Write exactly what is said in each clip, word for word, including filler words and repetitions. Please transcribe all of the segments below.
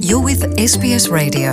You're with S B S Radio.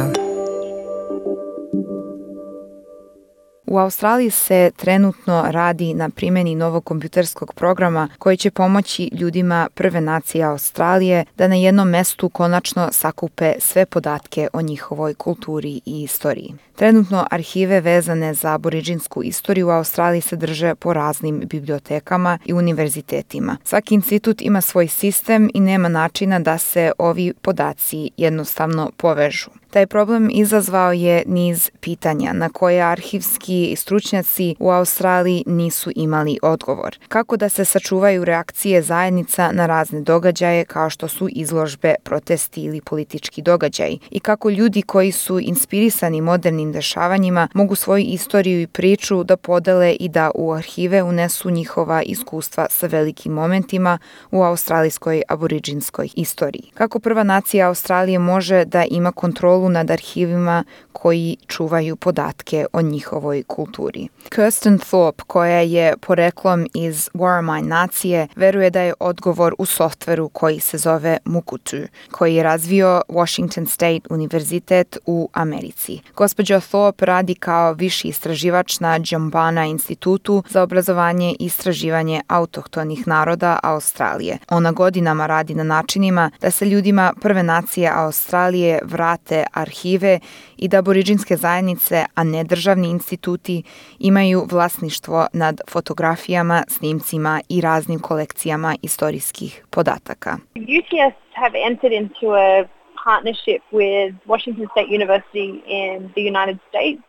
U Australiji se trenutno radi na primjeni novog kompjuterskog programa koji će pomoći ljudima prve nacije Australije da na jednom mestu konačno sakupe sve podatke o njihovoj kulturi i istoriji. Trenutno arhive vezane za aboridžinsku istoriju u Australiji se drže po raznim bibliotekama i univerzitetima. Svaki institut ima svoj sistem i nema načina da se ovi podaci jednostavno povežu. Taj problem izazvao je niz pitanja na koje arhivski stručnjaci u Australiji nisu imali odgovor. Kako da se sačuvaju reakcije zajednica na razne događaje kao što su izložbe, protesti ili politički događaji i kako ljudi koji su inspirisani modernim dešavanjima mogu svoju istoriju i priču da podele i da u arhive unesu njihova iskustva sa velikim momentima u australijskoj aboridžinskoj istoriji. Kako prva nacija Australije može da ima kontrolu nad arhivima koji čuvaju podatke o njihovoj kulturi. Kirsten Thorpe, koja je poreklom iz Worimi nacije, veruje da je odgovor u softveru koji se zove Mukurtu, koji je razvio Washington State Univerzitet u Americi. Gospođa Thorpe radi kao viši istraživač na Džambana institutu za obrazovanje i istraživanje autohtonih naroda Australije. Ona godinama radi na načinima da se ljudima prve nacije Australije vrate arhive i da aboridžinske zajednice, a ne državni instituti, imaju vlasništvo nad fotografijama, snimcima i raznim kolekcijama istorijskih podataka. U T S have entered into a partnership with Washington State University in the United States.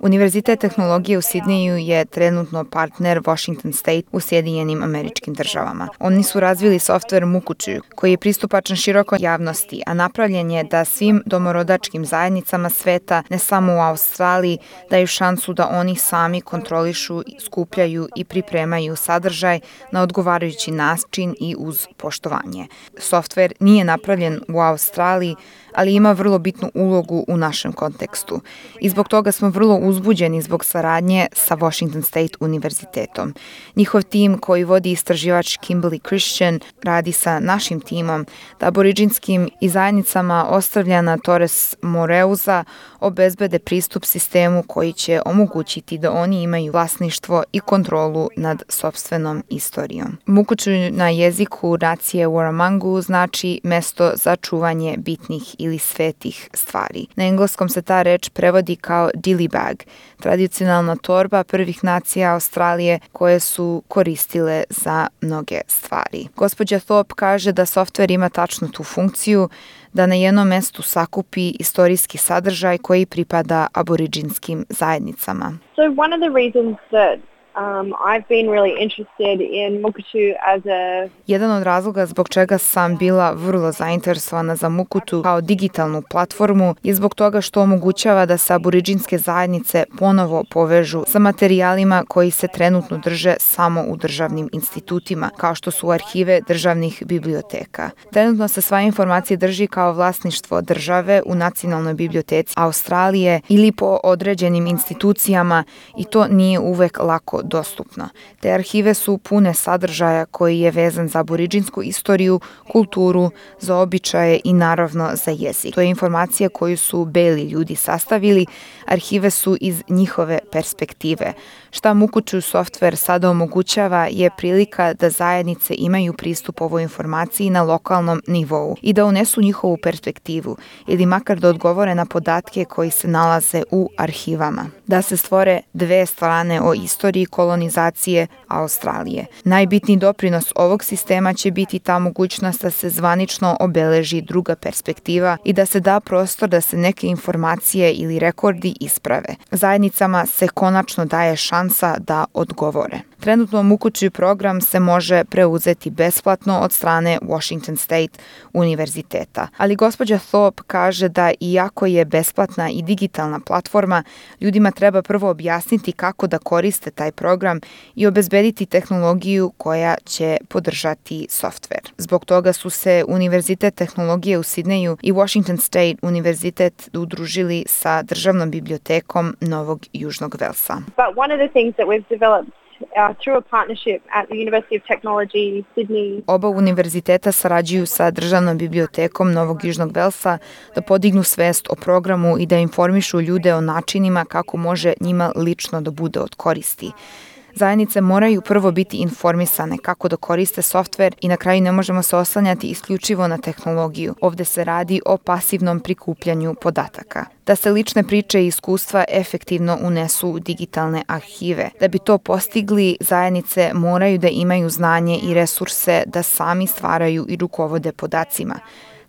Univerzitet tehnologije u Sidneju je trenutno partner Washington State u Sjedinjenim Američkim Državama. Oni su razvili softver Mukurtu, koji je pristupačan širokoj javnosti, a napravljen je da svim domorodačkim zajednicama sveta, ne samo u Australiji, daju šansu da oni sami kontrolišu, skupljaju i pripremaju sadržaj na odgovarajući način i uz poštovanje. Softver nije napravljen u Australiji, ali ima vrlo bitnu ulogu u našem kontekstu. I zbog toga smo vrlo uzbuđeni zbog saradnje sa Washington State Univerzitetom. Njihov tim koji vodi istraživač Kimberly Christian radi sa našim timom da aboridžinskim i zajednicama ostavljana Torres Moreuza obezbede pristup sistemu koji će omogućiti da oni imaju vlasništvo i kontrolu nad sopstvenom istorijom. Mukurtu na jeziku nacije Waramangu znači mesto za čuvanje bitnih ili svetih stvari. Na engleskom se ta reč prevodi kao dilly bag, tradicionalna torba prvih nacija Australije koje su koristile za mnoge stvari. Gospođa Thorpe kaže da softver ima tačno tu funkciju da na jednom mestu sakupi istorijski sadržaj koji pripada aboridžinskim zajednicama. So one of the reasons that Um, I've been really interested in Mukurtu as a... Jedan od razloga zbog čega sam bila vrlo zainteresovana za Mukurtu kao digitalnu platformu je zbog toga što omogućava da se aboridžinske zajednice ponovo povežu sa materijalima koji se trenutno drže samo u državnim institutima, kao što su arhive državnih biblioteka. Trenutno se sva informacija drži kao vlasništvo države u Nacionalnoj biblioteci Australije ili po određenim institucijama i to nije uvek lako dostupno. Te arhive su pune sadržaja koji je vezan za aboridžinsku istoriju, kulturu, za običaje i naravno za jezik. To je informacija koju su beli ljudi sastavili, arhive su iz njihove perspektive. Šta Mukurtu softver sada omogućava je prilika da zajednice imaju pristup ovoj informaciji na lokalnom nivou i da unesu njihovu perspektivu ili makar da odgovore na podatke koji se nalaze u arhivama. Da se stvore dve strane o istoriji kolonizacije Australije. Najbitniji doprinos ovog sistema će biti ta mogućnost da se zvanično obeleži druga perspektiva i da se da prostor da se neke informacije ili rekordi isprave. Zajednicama se konačno daje šansa da odgovore. Trenutno Mukurtu program se može preuzeti besplatno od strane Washington State Univerziteta, ali gospođa Thorpe kaže da iako je besplatna i digitalna platforma, ljudima treba prvo objasniti kako da koriste taj program i obezbediti tehnologiju koja će podržati softver. Zbog toga su se Univerzitet tehnologije u Sidneju i Washington State Univerzitet udružili sa državnom bibliotekom Novog Južnog Velsa. But one of the things that we've developed uh, through a partnership at the University of Technology, Sydney. Oba univerziteta sarađuju sa Državnom bibliotekom Novog Južnog Velsa da podignu svest o programu i da informišu ljude o načinima kako može njima lično da bude od koristi. Zajednice moraju prvo biti informisane kako da koriste softver i na kraju ne možemo se oslanjati isključivo na tehnologiju. Ovde se radi o pasivnom prikupljanju podataka. Da se lične priče i iskustva efektivno unesu u digitalne arhive. Da bi to postigli, zajednice moraju da imaju znanje i resurse da sami stvaraju i rukovode podacima.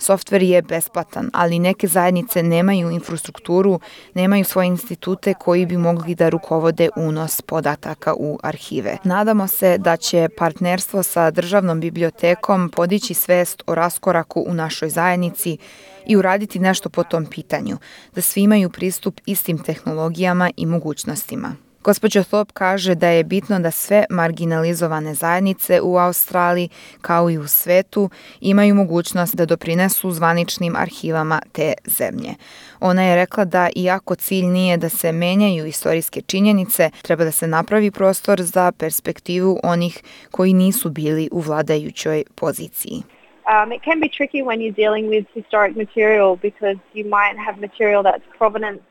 Softver je besplatan, ali neke zajednice nemaju infrastrukturu, nemaju svoje institute koji bi mogli da rukovode unos podataka u arhive. Nadamo se da će partnerstvo sa Državnom bibliotekom podići svest o raskoraku u našoj zajednici i uraditi nešto po tom pitanju, da svi imaju pristup istim tehnologijama i mogućnostima. Gospođa Thorpe kaže da je bitno da sve marginalizovane zajednice u Australiji, kao i u svetu, imaju mogućnost da doprinesu zvaničnim arhivama te zemlje. Ona je rekla da iako cilj nije da se menjaju istorijske činjenice, treba da se napravi prostor za perspektivu onih koji nisu bili u vladajućoj poziciji. Um, it can be tricky when you're dealing with historic material because you might have material that's provenance.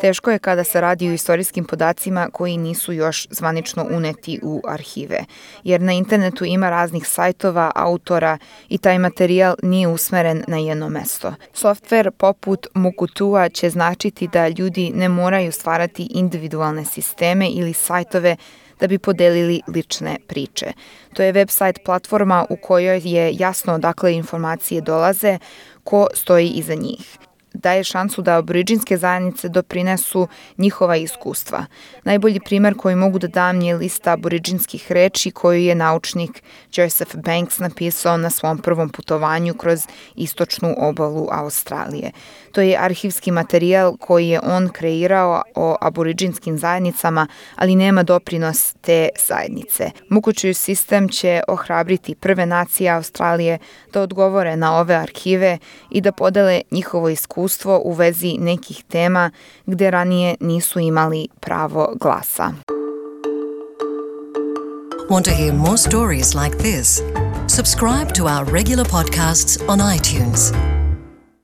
Teško je kada se radi o istorijskim podacima koji nisu još zvanično uneti u arhive, jer na internetu ima raznih sajtova, autora i taj materijal nije usmeren na jedno mesto. Softver poput Mukutua će značiti da ljudi ne moraju stvarati individualne sisteme ili sajtove da bi podelili lične priče. To je website platforma u kojoj je jasno odakle informacije dolaze, ko stoji iza njih. Daje šansu da aboriđinske zajednice doprinesu njihova iskustva. Najbolji primer koji mogu da dam je lista aboriđinskih reči koju je naučnik Joseph Banks napisao na svom prvom putovanju kroz istočnu obalu Australije. To je arhivski materijal koji je on kreirao o aboriđinskim zajednicama, ali nema doprinos te zajednice. Mukučuju sistem će ohrabriti prve nacije Australije da odgovore na ove arhive i da podele njihovo iskustvo u vezi nekih tema gde ranije nisu imali pravo glasa. Want to hear more stories like this? Subscribe to our regular podcasts on iTunes.